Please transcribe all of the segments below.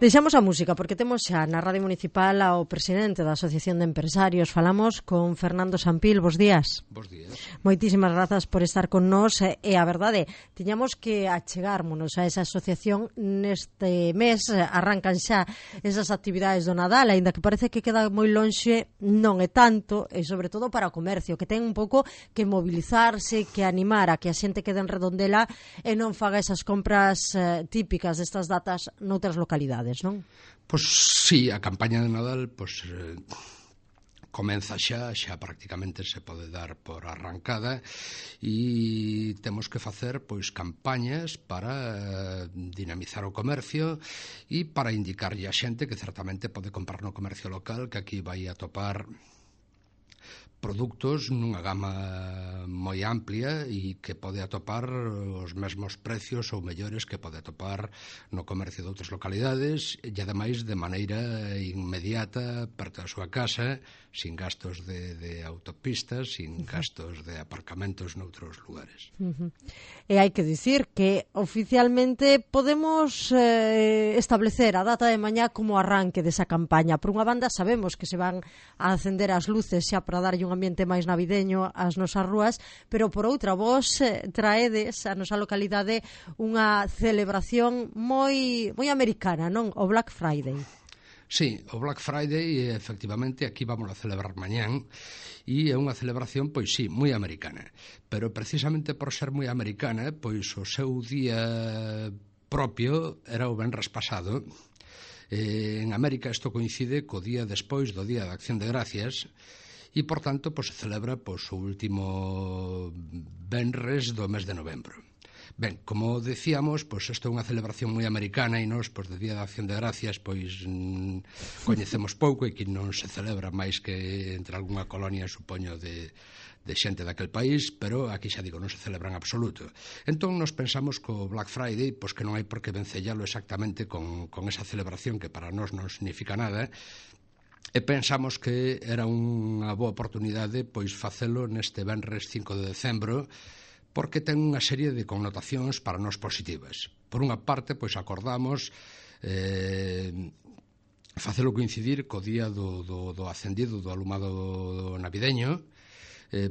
Deixamos a música porque temos xa na Radio Municipal ao presidente da Asociación de Empresarios. Falamos con Fernando Sampil. Bos días. Bos días. Moitísimas grazas por estar con nós e a verdade, tiñamos que achegármonos a esa asociación neste mes. Arrancan xa esas actividades do Nadal, aínda que parece que queda moi lonxe, non é tanto, e sobre todo para o comercio, que ten un pouco que mobilizarse, que animar a que a xente quede en Redondela e non faga esas compras típicas destas datas noutras localidades, non? Pois sí, a campaña de Nadal comeza xa prácticamente se pode dar por arrancada e temos que facer pois campañas para dinamizar o comercio e para indicarlle a xente que certamente pode comprar no comercio local, que aquí vai a topar produtos nunha gama moi amplia e que pode atopar os mesmos precios ou mellores que pode atopar no comercio de outras localidades e ademais de maneira inmediata perto da súa casa, sin gastos de autopistas, sin gastos de aparcamentos noutros lugares. E hai que dicir que oficialmente podemos establecer a data de mañá como arranque desa campaña. Por unha banda sabemos que se van a acender as luces xa para darlle un ambiente máis navideño ás nosas rúas, pero por outra vos traedes a nosa localidade unha celebración moi americana, non? O Black Friday. Sí, o Black Friday, efectivamente, aquí vamos a celebrar mañán e é unha celebración, pois sí, moi americana, pero precisamente por ser moi americana, pois o seu día propio era o venres pasado. En América isto coincide co día despois do Día de Acción de Gracias e, por tanto, pois, se celebra pois, o último venres do mes de novembro. Ben, como decíamos, pois isto é unha celebración moi americana e nós, pois, de Día de Acción de Gracias, pois coñecemos pouco e que non se celebra máis que entre algunha colonia, supoño, de xente daquel país, pero aquí xa digo, non se celebra en absoluto. Entón, nos pensamos que o Black Friday, pois que non hai por que vencellalo exactamente con esa celebración que para nós non significa nada, e pensamos que era unha boa oportunidade pois facelo neste venres 5 de decembro, porque ten unha serie de connotacións para nós positivas. Por unha parte, pois acordamos facelo coincidir co día do acendido do alumado navideño,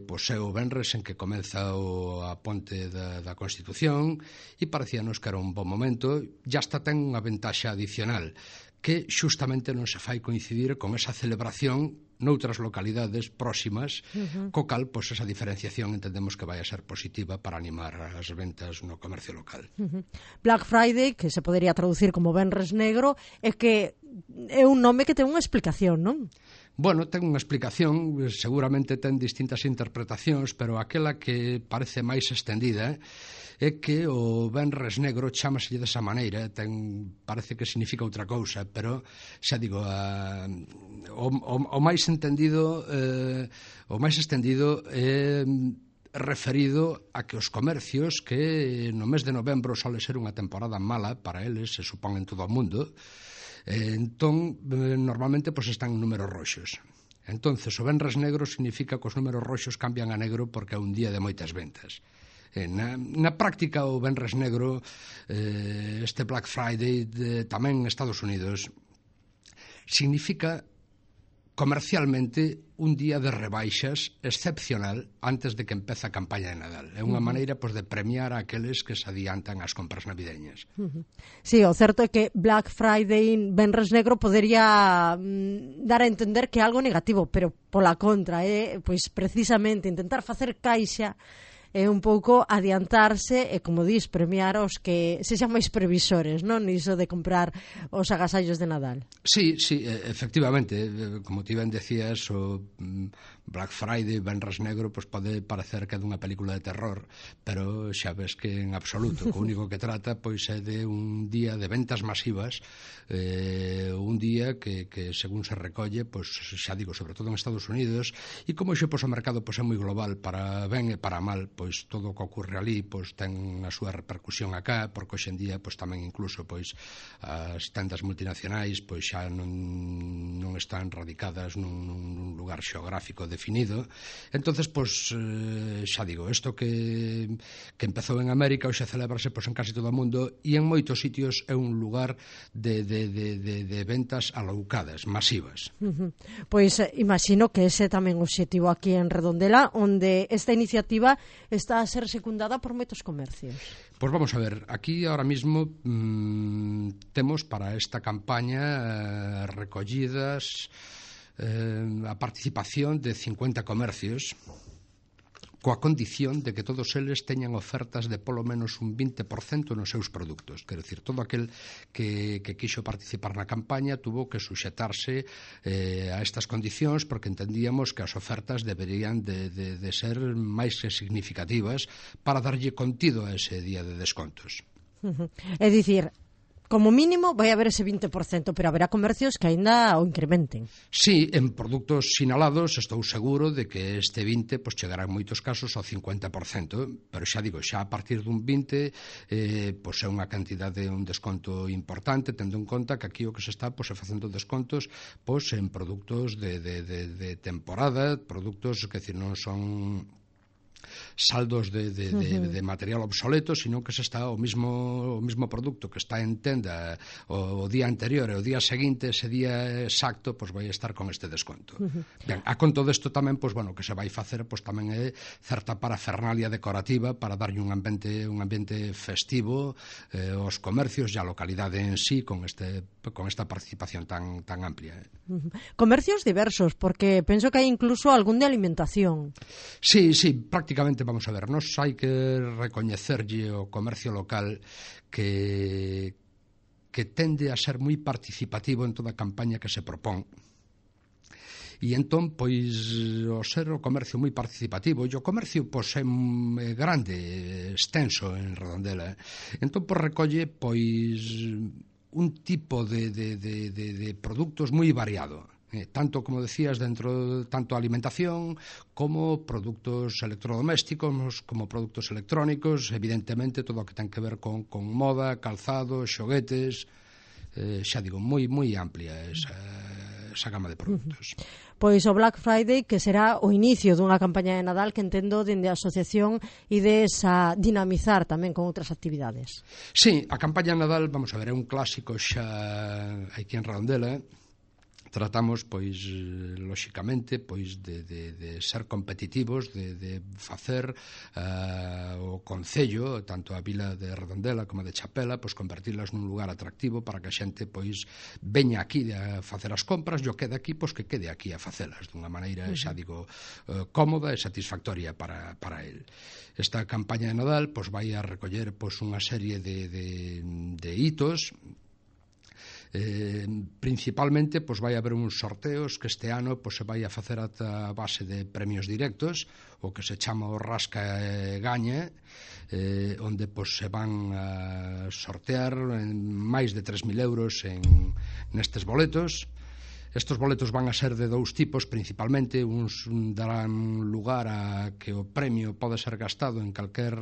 pois é o venres en que comeza a ponte da Constitución e parecíanos que era un bon momento. E hasta ten unha ventaxa adicional, que xustamente non se fai coincidir con esa celebración noutras localidades próximas, co cal, pois, esa diferenciación entendemos que vai a ser positiva para animar as ventas no comercio local. Black Friday, que se podería traducir como Venres Negro, é que é un nome que ten unha explicación, non? Bueno, ten unha explicación, seguramente ten distintas interpretacións, pero aquela que parece máis extendida é que o venres negro chámaselle desa maneira, parece que significa outra cousa, pero xa digo, o máis entendido, o máis extendido é referido a que os comercios que no mes de novembro sole ser unha temporada mala para eles, se supón en todo o mundo, entón normalmente pois están en números roxos. Entonces o venres negro significa que os números roxos cambian a negro porque é un día de moitas ventas. Na práctica o venres negro, este Black Friday tamén en Estados Unidos, significa comercialmente un día de rebaixas excepcional antes de que empece a campaña de Nadal. É unha maneira pois, de premiar a aqueles que se adiantan ás compras navideñas. Sí, o certo é que Black Friday, venres negro, podería dar a entender que é algo negativo, pero pola contra, pois precisamente intentar facer caixa é un pouco adiantarse e, como dis, premiar os que sexan máis previsores, non? Iso de comprar os agasallos de Nadal. Sí, efectivamente, como ti ben decías, o Black Friday, venres negro, pois pode parecer que é dunha película de terror, pero xa ves que en absoluto, o único que trata pois é de un día de ventas masivas, un día que según se recolle, pois xa digo, sobre todo en Estados Unidos, e como xe pois o mercado pois é moi global, para ben e para mal, pois todo o que ocorre ali pois ten a súa repercusión acá, porque hoxe en día pois tamén incluso pois as tendas multinacionais pois xa non están radicadas nun lugar xeográfico definido definido. Entonces, pois, xa digo, isto que empezou en América hoxe celebrase pois, en casi todo o mundo, e en moitos sitios é un lugar de ventas aloucadas, masivas. Pois imagino que ese tamén o obxectivo aquí en Redondela, onde esta iniciativa está a ser secundada por moitos comercios. Pois vamos a ver, aquí ahora mismo temos para esta campaña recollidas a participación de 50 comercios, coa condición de que todos eles teñan ofertas de polo menos un 20% nos seus produtos. Quero dicir, todo aquel que quixo participar na campaña tuvo que suxetarse a estas condicións, porque entendíamos que as ofertas deberían de ser máis que significativas para darlle contido a ese día de descontos. É dicir, como mínimo vai haber ese 20%, pero haberá comercios que aínda o incrementen. Sí, en produtos sinalados estou seguro de que este 20 pois, chegará en moitos casos ao 50%, pero xa digo, xa a partir dun 20 pois é unha cantidade, un desconto importante, tendo en conta que aquí o que se está pois, facendo descontos pois, en produtos de temporada, produtos que non son saldos de material obsoleto, sino que se está o mismo produto que está en tenda o día anterior e o día seguinte, ese día exacto, pois vai estar con este desconto. Ben, a conto desto tamén, pois bueno, que se vai facer, pois tamén é certa parafernalia decorativa para darlle un ambiente festivo aos comercios e á localidade en sí con esta participación tan amplia. Comercios diversos, porque penso que hai incluso algún de alimentación. Sí, prácticamente, vamos a ver, nos hai que recoñecerlle o comercio local que tende a ser moi participativo en toda a campaña que se propón. E entón, pois, o ser o comercio moi participativo, e o comercio, pois, é grande, extenso en Redondela, entón, pois, recolle, pois, un tipo de produtos moi variado. Tanto, como decías, dentro tanto alimentación como produtos electrodomésticos, como produtos electrónicos, evidentemente todo o que ten que ver con moda, calzado, xoguetes, xa digo, moi amplia esa gama de produtos. Pois o Black Friday, que será o inicio dunha campaña de Nadal que entendo dende a asociación ides a dinamizar tamén con outras actividades. Sí, a campaña de Nadal, vamos a ver, é un clásico xa aquí en Redondela. Tratamos, pois, lóxicamente, pois, de ser competitivos, de facer o Concello, tanto a vila de Redondela como a de Chapela, pois, convertilas nun lugar atractivo para que a xente, pois, veña aquí a facer as compras, e o quede aquí, pois, que quede aquí a facelas dunha maneira, xa digo, cómoda e satisfactoria para el. Esta campaña de Nadal, pois, vai a recoller, pois, unha serie de hitos. Principalmente, pois vai haber uns sorteos que este ano pois, se vai a facer a base de premios directos, o que se chama o Rasca e Gaña, onde pois, se van a sortear máis de 3.000 euros nestes boletos. Estes boletos van a ser de dous tipos, principalmente. Uns darán lugar a que o premio pode ser gastado en calquer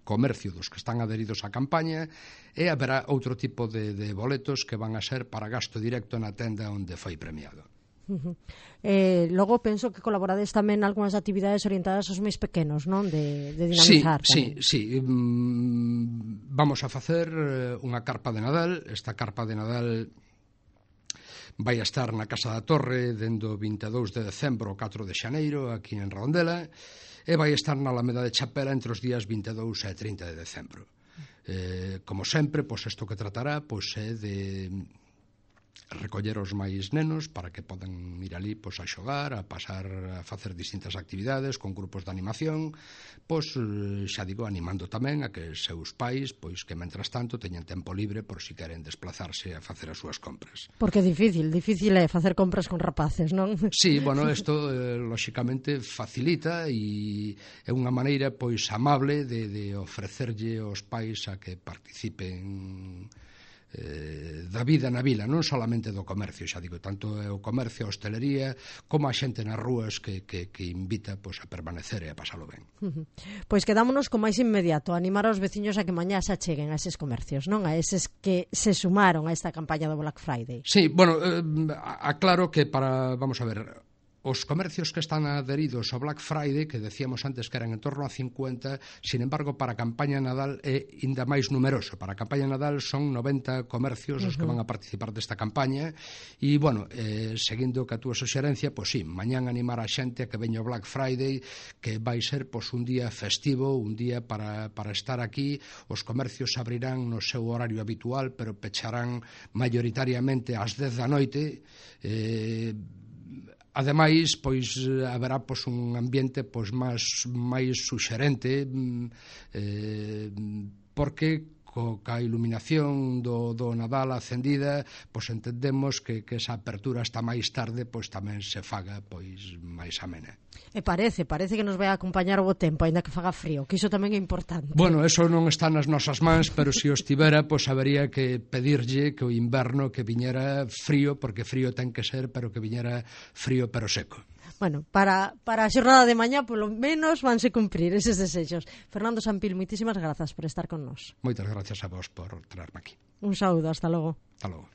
comercio dos que están adheridos á campaña, e haberá outro tipo de boletos que van a ser para gasto directo na tenda onde foi premiado. Logo penso que colaborades tamén en algunhas actividades orientadas aos máis pequenos, non? De dinamizar. Sí. Vamos a facer unha carpa de Nadal. Esta carpa de Nadal vai a estar na Casa da Torre dende o 22 de decembro ao 4 de xaneiro, aquí en Redondela, e vai estar na Alameda de Chapela entre os días 22 e 30 de decembro. Como sempre, pois isto que tratará pois é de recoller os máis nenos para que podan ir ali pois, a xogar, a pasar a facer distintas actividades con grupos de animación, pois xa digo, animando tamén a que seus pais, pois que mentras tanto teñan tempo libre por si queren desplazarse a facer as súas compras. Porque é difícil é facer compras con rapaces, non? Sí, bueno, isto lóxicamente facilita e é unha maneira pois amable de ofrecerlle aos pais a que participen da vida na vila, non solamente do comercio, xa digo, tanto o comercio, a hostelería, como a xente nas rúas que invita pois, a permanecer e a pasalo ben. Pois quedámonos con máis inmediato, animar aos veciños a que mañá se acheguen a eses comercios, non? A eses que se sumaron a esta campaña do Black Friday. Sí, bueno, aclaro que vamos a ver, os comercios que están adheridos ao Black Friday, que decíamos antes que eran en torno a 50, sin embargo, para a campaña Nadal é ainda máis numeroso. Para a campaña Nadal son 90 comercios os que van a participar desta campaña e, bueno, seguindo que a túa suxerencia, pois sí, mañán animar a xente a que veña o Black Friday, que vai ser pois un día festivo, un día para estar aquí. Os comercios abrirán no seu horario habitual, pero pecharán maioritariamente ás 10 da noite. Ademais, pois haberá pois un ambiente pois máis suxerente, porque ca iluminación do Nadal acendida, pois entendemos que esa apertura hasta máis tarde pois tamén se faga pois máis amena. E parece que nos vai acompañar o bo tempo, aínda que faga frío, que iso tamén é importante. Bueno, eso non está nas nosas mans, pero se o estivera, pois habería que pedirlle que o inverno que viñera frío, porque frío ten que ser, pero que viñera frío pero seco. Bueno, para a xornada de mañá, polo menos, vanse cumprir eses desexos. Fernando Sampil, moitísimas grazas por estar con nós. Moitas gracias a vos por traerme aquí. Un saúdo, hasta logo. Hasta logo.